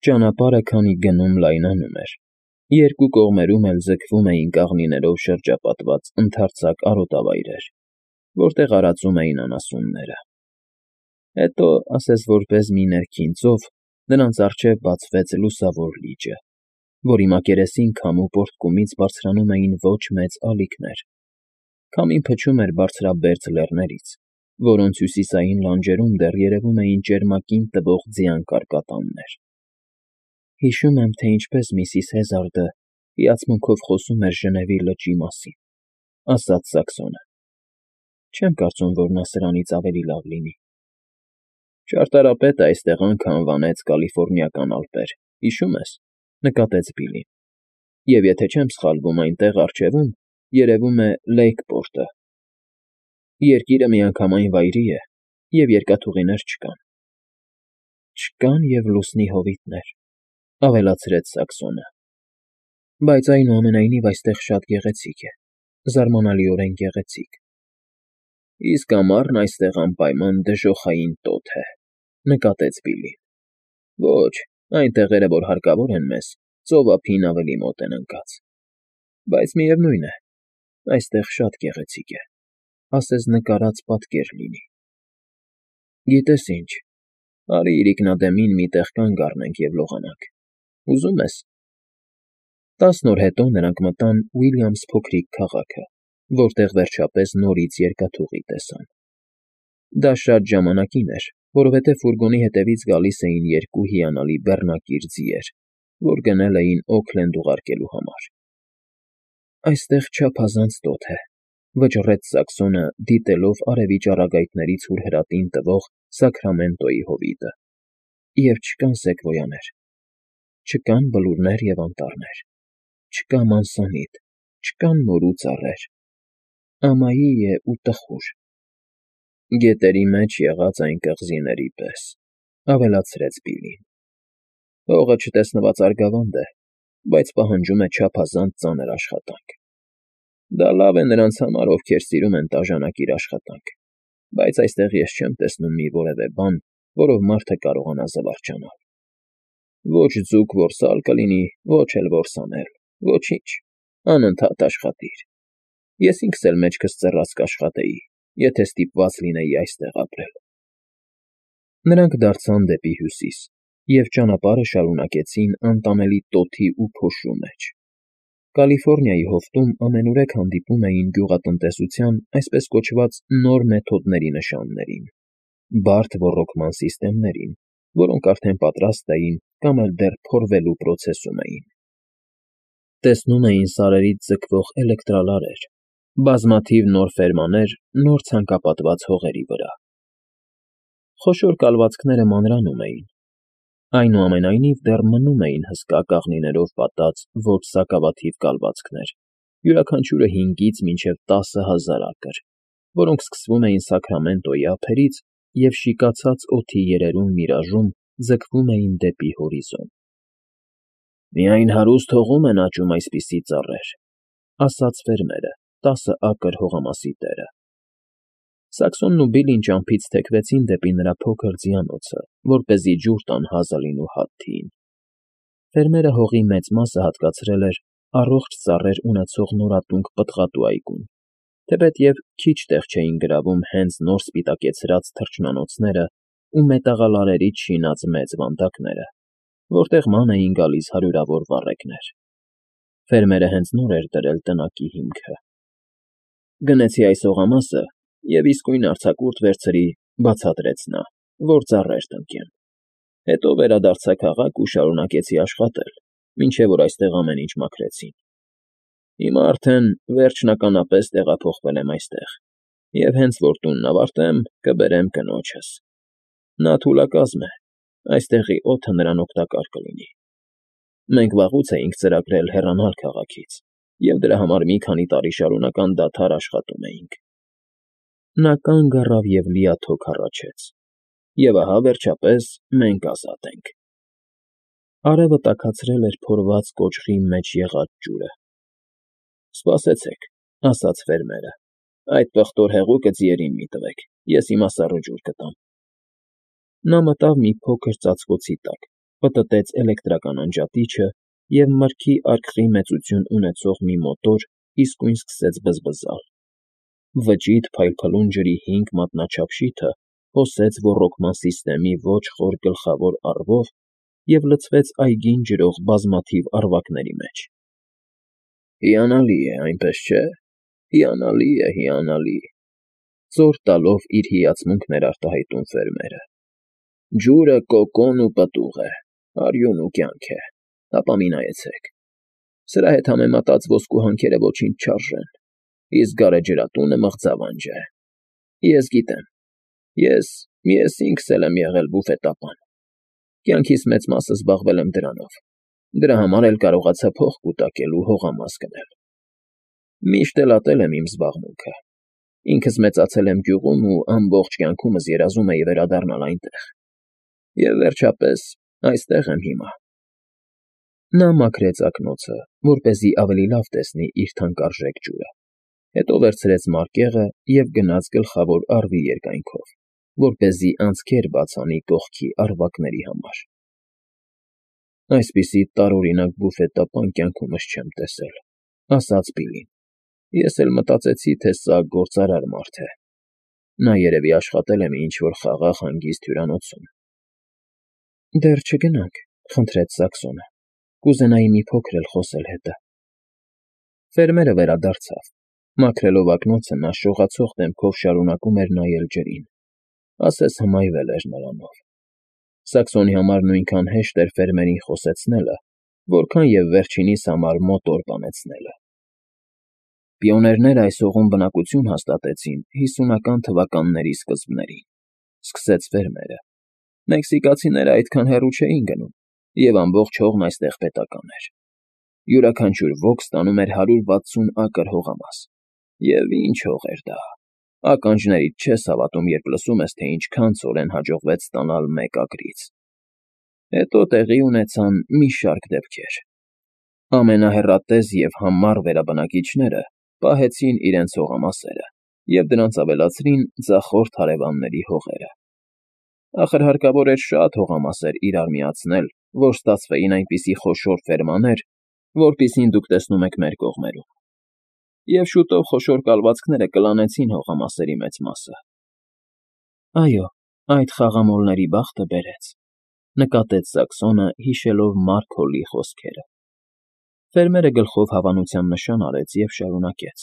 Ճանապարհը քանի գնում լայնանում էր, երկու կողմերում էլ ձգվում էին կաղնիներով շրջապատված ընդարձակ արոտավայրեր, որտեղ արածում էին անասունները։ Հետո, ասես որպես մի ներքին ծով, նրանց առջև բացվեց լուսավոր լիճը, որի մակերեսին քամու պոռթկումից բարձրանում էին ոչ մեծ ալիքներ. քամին փչում էր բարձրաբերձ լեռներից, որոնց հյուսիսային լանջերում դեռ երևում էին ճերմակին տվող ձյան կարկատաններ։ Հիշում եմ, թե ինչպես միսիս Հեզարդը հիացմունքով խոսում էր Ժնևի լճի մասին, ասաց Սաքսոնը։ Չեմ կարծում, որ նա սրանից ավելի լավ լինի։ Ճարտարապետը այստեղ անքը անվանեց Կալիֆոռնիական Ալպեր, հիշում ես, նկատեց Բիլլին։ Եվ եթե չեմ սխալվում, այնտեղ առջևում երևում է Լեյքպորտը։ Երկիրը միանգամայն վայրի է, և երկաթուղիներ չկան։ Չկան և լուսնի հովիտներ, ավելացրեց Սաքսոնը։ Բայց այնուամենայնիվ այստեղ շատ գեղեցիկ է, զարմանալիորեն գեղեցիկ։ Իսկ ամառն այստեղ անպայման դժոխային տոթ է, նկատեց Բիլլին։ Ոչ, այն տեղերը, որ հարկավոր են մեզ, ծով ափին ավելի մոտ են ընկած։ Բայց միևնույն է, այստեղ շատ գեղեցիկ է, ասես նկարած պատկեր լինի։ Գիտես ինչ, արի իրիկնադեմին մի տեղ կանգ առնենք և լողանանք։ Ուզում ես։ 10 օր հետո նրանք մտան Ուիլյամս փոքրիկ քաղաքը, որտեղ վերջապես նորից երկաթուղի տեսան։ Դա շատ ժամանակին էր, որովհետև ֆուրգոնի հետևից գալիս էին երկու հիանալի բեռնակիր ձիեր, որ գնել էին Օքլենդ ուղարկելու համար։ Այստեղ չափազանց տոթ է, վճռեց Սաքսոնը, դիտելով արևի ճառագայթներից հուրհրատին տվող Սաքրամենտոյի հովիտը։ Եվ չկան սեկվոյաներ, չկան բլուրներ և անտառներ, չկա մանսանիտ, չկան մորու ծառեր, ամայի է ու տխուր։ Գետերի մեջ եղած այն կղզիների պես, ավելացրեց Բիլլին։ Հողը չտեսնված արգավանդ է, բայց պահանջում է չափազանց ծանր աշխատանք։ Դա լավ է նրանց համար, ովքեր սիրում են տաժանակիր աշխատանք, բայց այստեղ ես չեմ տեսնում մի որևէ բան, որով մարդը կարողանա զվարճանալ։ Ոչ ձուկ որսալ կլինի, ոչ էլ որսանել, ոչինչ, անընդհատ աշխատիր։ Ես ինքս էլ մեջքս ծռած կաշխատեի, եթե ստիպված լինեի այստեղ ապրել։ Նրանք դարձան դեպի հյուսիս և ճանապարհը շարունակեցին անտանելի տոթի ու փոշու մեջ։ Կալիֆոռնիայի հովտում ամենուրեք հանդիպում էին գյուղատնտեսության այսպես կոչված նոր մեթոդների նշաններին, բարդ ոռոգման սիստեմներին, որոնք արդեն պատրաստ էին կամ էլ դեռ փորվելու պրոցեսում էին։ Տեսնում էին սարերից ձգվող էլեկտրալարեր, բազմաթիվ նոր ֆերմաներ նոր ցանկապատված հողերի վրա։ Խոշոր կալվածքները մանրանում էին, այնուամենայնիվ դեռ մնում էին հսկա կաղնիներով պատած ոչ սակավաթիվ կալվածքներ, յուրաքանչյուրը 5-ից մինչև 10,000 ակր, որոնք սկսվում էին Սաքրամենտոյի ափերից և շիկացած օդի երերուն միրաժում ձգվում էին դեպի հորիզոն։ Միայն հարուստ հողում են աճում այսպիսի ծառեր, ասաց ֆերմերը, 10 ակր հողամասի տերը։ Սաքսոնն ու Բիլլին ճամփից թեքվեցին դեպի նրա փոքր ձիանոցը, որպեսզի ջուր տան Հազալին ու Հադթիին։ Ֆերմերը հողի մեծ մասը հատկացրել էր առողջ ծառեր ունեցող նորատունկ պտղատու այգուն, թեպետև քիչ տեղ չէին գրավում հենց նոր սպիտակեցրած թռչնանոցները ու մետաղալարերից շինած մեծ վանդակները, որտեղ ման էին գալիս հարյուրավոր վառեկներ։ Ֆերմերը հենց նոր էր դրել տնակի հիմքը։ Գնեցի այս հողամասը և իսկույն արձակուրդ վերցրի, բացատրեց նա, որ ծառեր տնկեմ։ Հետո վերադարձա քաղաք ու շարունակեցի աշխատել, մինչև որ այստեղ ամեն ինչ մաքրեցին։ Հիմա արդեն վերջնականապես տեղափոխվել եմ այստեղ, և հենց որ տունն ավարտեմ, կբերեմ կնոջս։ Նա թուլակազմ է, այստեղի օդը նրան օգտակար կլինի։ Մենք վաղուց էինք ծրագրել հեռանալ քաղաքից և դրա համար մի քանի տարի շարունակ անդադար աշխատում էինք։ Նա կանգ առավ և լիաթոք հառաչեց։ Եվ ահա, վերջապես, մենք ազատ ենք։ Արևը տաքացրել էր փորված կոճղի մեջ եղած ջուրը։ Սպասեցեք, ասաց ֆերմերը, այդ պղտոր հեղուկը ձիերին մի տվեք, ես հիմա սառը ջուր կտամ։ Նա մտավ մի փոքր ծածկոցի տակ, պտտեց էլեկտրական անջատիչը և մրգի արկղի մեծություն ունեցող մի մոտոր իսկույն սկսեց բզբզալ։ Վճիտ փայլփլուն ջրի 5 մատնաչափ շիթը հոսեց ոռոգման սիստեմի ոչ խոր գլխավոր առվով և լցվեց այգին ջրող բազմաթիվ առվակների մեջ։ «Հիանալի է, այնպես չէ՞, հիանալի,» ծոր տալով իր հիացմունքն էր արտահայտում ֆերմերը։ «Ջուրը կոկոն ու պտուղ է, արյուն ու կյանք է, հապա մի նայեցեք. սրա հետ համեմատած ոսկու հանքերը ոչինչ չարժեն, իսկ գարեջրատունը մղձավանջ է։ Ես գիտեմ, ես ինքս էլ եմ եղել բուֆետապան, կյանքիս մեծ մասը զբաղվել եմ դրանով, դրա համար էլ կարողացա փող կուտակել ու հողամաս գնել։ Միշտ էլ ատել եմ իմ զբաղմունքը, ինքս մեծացել եմ գյուղում ու ամբողջ կյանքումս երազում էի վերադառնալ այնտեղ։ Եվ վերջապես այստեղ եմ հիմա»։ Նա մաքրեց ակնոցը, որպեսզի ավելի լավ տեսնի իր թանկարժեք ջուրը, հետո վերցրեց մարկեղը և գնաց գլխավոր առվի երկայնքով, որպեսզի անցքեր բաց անի կողքի առվակների համար։ «Այսպիսի տարօրինակ բուֆետապան կյանքումս չեմ տեսել,» ասաց Բիլլին։ «Ես էլ մտածեցի, թե սա գործարար մարդ է։ Նա երևի աշխատել է մի ինչ֊որ խաղաղ հանգիստ հյուրանոցում»։ «Դեռ չգնանք,» խնդրեց Սաքսոնը, «կուզենայի մի փոքր էլ խոսել հետը»։ Ֆերմերը վերադարձավ։ Մաքրելով ակնոցը նա շողացող դեմքով շարունակում էր նայել ջրին, ասես հմայվել էր նրանով։ Սաքսոնի համար նույնքան հեշտ էր ֆերմերին խոսեցնելը, որքան և վերջինիս համար մոտոր բանեցնելը։ «Պիոներները այս հողում բնակություն հաստատեցին 50-ական թվականների սկզբներին,» սկսեց ֆերմերը։ «Մեքսիկացիները այդքան հեռու չէին գնում, և ամբողջ հողն այստեղ պետական էր։ Յուրաքանչյուր ոք ստանում էր 160 ակր հողամաս։ Եվ ինչ հող էր դա… Ականջներիդ չես հավատում, երբ լսում ես, թե ինչքան ցորեն հաջողվեց ստանալ մեկ ակրից։ Հետո տեղի ունեցան մի շարք դեպքեր։ Ամենահեռատես և համառ վերաբնակիչները պահեցին իրենց հողամասերը և դրանց ավելացրին ձախորդ հարևանների հողերը։ Ախր հարկավոր էր շատ հողամասեր իրար միացնել, որ ստացվեին այնպիսի խոշոր ֆերմաներ, որպիսին դուք տեսնում եք մեր կողմերում։ Եվ շուտով խոշոր կալվածքները կլանեցին հողամասերի մեծ մասը»։ «Այո, այդ խաղամոլների բախտը բերեց»,֊ նկատեց Սաքսոնը, հիշելով Մարք Հոլի խոսքերը։ Ֆերմերը գլխով հավանության նշան արեց և շարունակեց.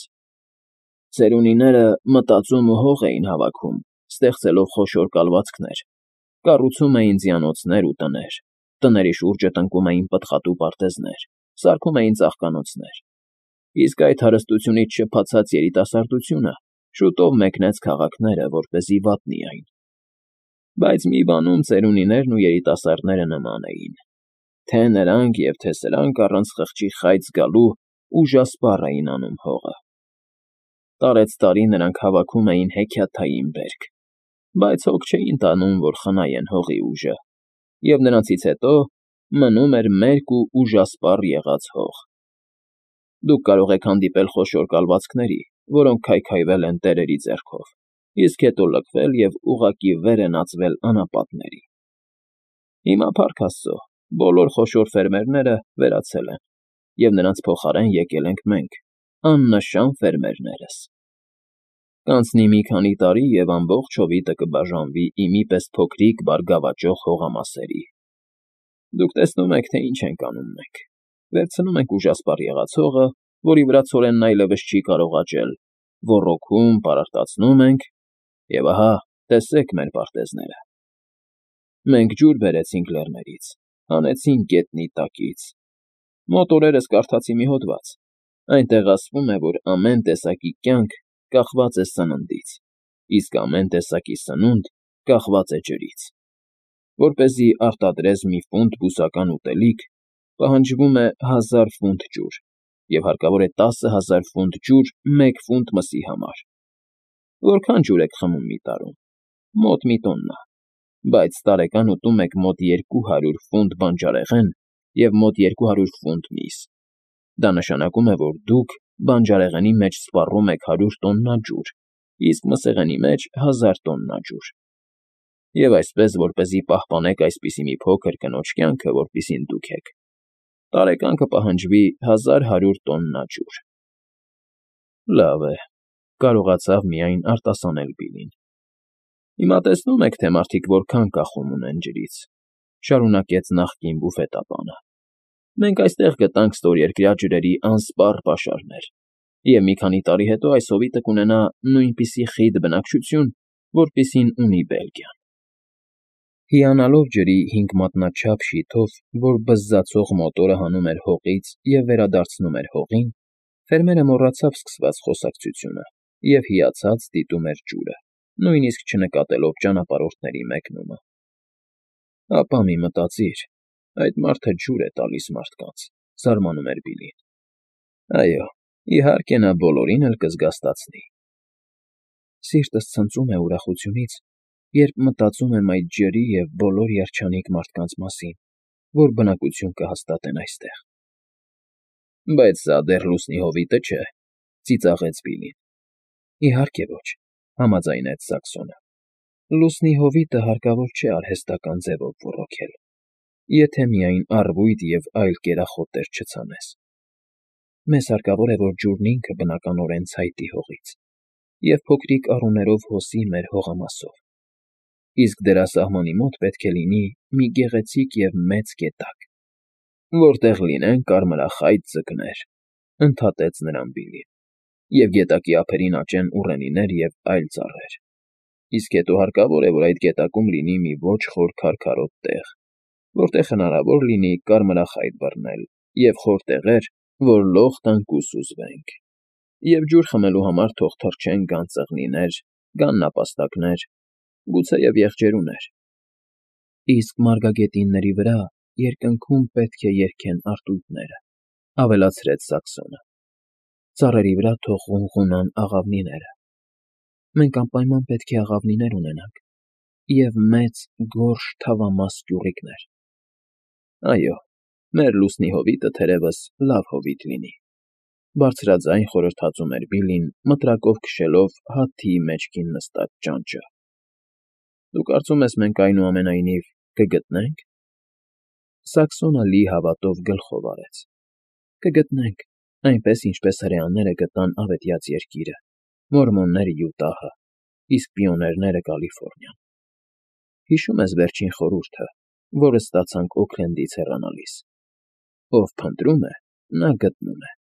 «Ծերունիները մտածում ու հող էին հավաքում, ստեղծելով խոշոր կալվածքներ, կառուցում էին ձիանոցներ ու տներ, տների շուրջը տնկում էին պտղատու պարտեզներ, սարքում էին ծաղկանոցներ։ Իսկ այդ հարստությունից շփաթած երիտասարդությունը շուտով մեկնեց քաղաքները, որպեսզի վատնի այն։ Բայց մի բանում ծերունիներն ու երիտասարդները նման էին. թե նրանք և թե սրանք առանց խղճի խայծ գալու ուժասպառ էին անում հողը։ Տարեցտարի նրանք հավաքում էին հեքիաթային բերք, բայց հոգ չէին տանում, որ խնայեն հողի ուժը, և նրանցից հետո մնում էր մերկ ու ուժասպառ եղած հող։ Դուք կարող եք հանդիպել խոշոր կալվածքների, որոնք քայքայվել են տերերի ձեռքով, իսկ հետո լքվել և ուղղակի վեր են ածվել անապատների։ Հիմա, փառք Աստծո, բոլոր խոշոր ֆերմերները վերացել են, և նրանց փոխարեն եկել ենք մենք, աննշան ֆերմերներս։ Կանցնի մի քանի տարի, և ամբողջ հովիտը կբաժանվի իմի պես փոքրիկ բարգավաճող հողամասերի։ Դուք տեսնում եք, թե ինչ ենք անում մենք. վերցնում ենք ուժասպառ եղած հողը, որի վրա ցորենն այլևս չի կարող աճել, ոռոգում, պարարտացնում ենք, և ահա, տեսեք մեր պարտեզները։ Մենք ջուր բերեցինք լեռներից, հանեցինք գետնի տակից։ Մոտ օրերս կարդացի մի հոդված, այնտեղ ասվում է, որ ամեն տեսակի կյանք կախված է սննդից, իսկ ամեն տեսակի սնունդ կախված է ջրից։ Որպեսզի արտադրես մի ֆունտ բուսական ուտելիք, պահանջվում է 1000 ֆունտ ջուր, և հարկավոր է 10,000 ֆունտ ջուր մեկ ֆունտ մսի համար։ Որքա՞ն ջուր եք խմում մի տարում։ Մոտ մի տոննա, բայց տարեկան ուտում եք մոտ 200 ֆունտ բանջարեղեն և մոտ 200 ֆունտ միս։ Դա նշանակում է, որ դուք բանջարեղենի մեջ սպառում եք 100 տոննա ջուր, իսկ մսեղենի մեջ 1000 տոննա ջուր։ Եվ այսպես, որպեսզի պահպանեք այսպիսի մի փոքր կնոջ կյանքը, որպիսին դուք եք, տարեկան կպահանջվի 1100 տոննա ջուր։ Լավ է, կարողացավ միայն արտասանել Բիլին։ Հիմա տեսնում եք, թե մարդիկ որքան կախում ունեն ջրից, շարունակեց նախկին բուֆետապանը։ Մենք այստեղ գտանք ստորերկրյա ջրերի անսպառ պաշարներ, և մի քանի տարի հետո այս հովիտը կունենա նույնպիսի խիտ բնակչություն, որպիսին ունի Բելգիան։ Հիանալով ջրի 5 մատնաչափ շիթով, որ բզզացող մոտորը հանում էր հողից և վերադարձնում էր հողին, ֆերմերը մոռացավ սկսված խոսակցությունը և հիացած դիտում էր ջուրը, նույնիսկ չնկատելով ճանապարհորդների մեկնումը։ Ապա մի մտածիր, այդ մարդը ջուր է տալիս մարդկանց, զարմանում էր Բիլին։ Այո, իհարկե նա բոլորին էլ կզգաստացնի։ Սիրտս ցնծում է ուրախությունից, երբ մտածում եմ այդ ջրի և բոլոր երջանիկ մարդկանց մասին, որ բնակություն կհաստատեն այստեղ։ Բայց սա դեռ լուսնի հովիտը չէ, ծիծաղեց Բիլին։ Իհարկե ոչ, համաձայնեց Սաքսոնը։ Լուսնի հովիտը հարկավոր չէ արհեստական ձևով ոռոգել, եթե միայն առվույթ և այլ կերախոտեր չցանես։ Մեզ հարկավոր է, որ ջուրն ինքը բնականորեն ցայտի հողից և փոքրիկ առուներով հոսի մեր հողամասով, իսկ դրա սահմանի մոտ պետք է լինի մի գեղեցիկ և մեծ գետակ, որտեղ լինեն կարմրախայտ ձկներ, ընդհատեց նրան Բիլին, և գետակի ափերին աճեն ուռենիներ և այլ ծառեր, իսկ հետո հարկավոր է, որ այդ գետակում լինի մի ոչ խոր քարքարոտ տեղ, որտեղ հնարավոր լինի կարմրախայտ բռնել, և խոր տեղեր, որ լող տանք ու սուզվենք, և ջուր խմելու համար թող թռչեն գան ծղնիներ, գան նապաստակներ, գուցեև եղջերուներ։ Իսկ մարգագետինների վրա երկնքում պետք է երգեն արծույթները, ավելացրեց Սաքսոնը։ Ծառերի վրա թող ղունղունան աղավնիները։ Մենք անպայման պետք է աղավնիներ ունենանք և մեծ, գորշ, թավամաս կյուղիկներ։ Այո, մեր լուսնի հովիտը թերևս լավ հովիտ լինի, բարձրաձայն խորհրդածում էր Բիլին, մտրակով քշելով հաթիի մեջքին նստած ճանճը։ Դու կարծում ես մենք այնուամենայնիվ կգտնե՞նք։ Սաքսոնը լի հավատով գլխով արեց։ Կգտնենք, այնպես ինչպես հրեաները գտան Ավետյաց Երկիրը, մորմոնները Յուտահը, իսկ պիոներները Կալիֆոռնիան։ Հիշո՞ւմ ես վերջին խորհուրդը, որը ստացանք Օքլենդից հեռանալիս. ով փնտրում է, նա գտնում է։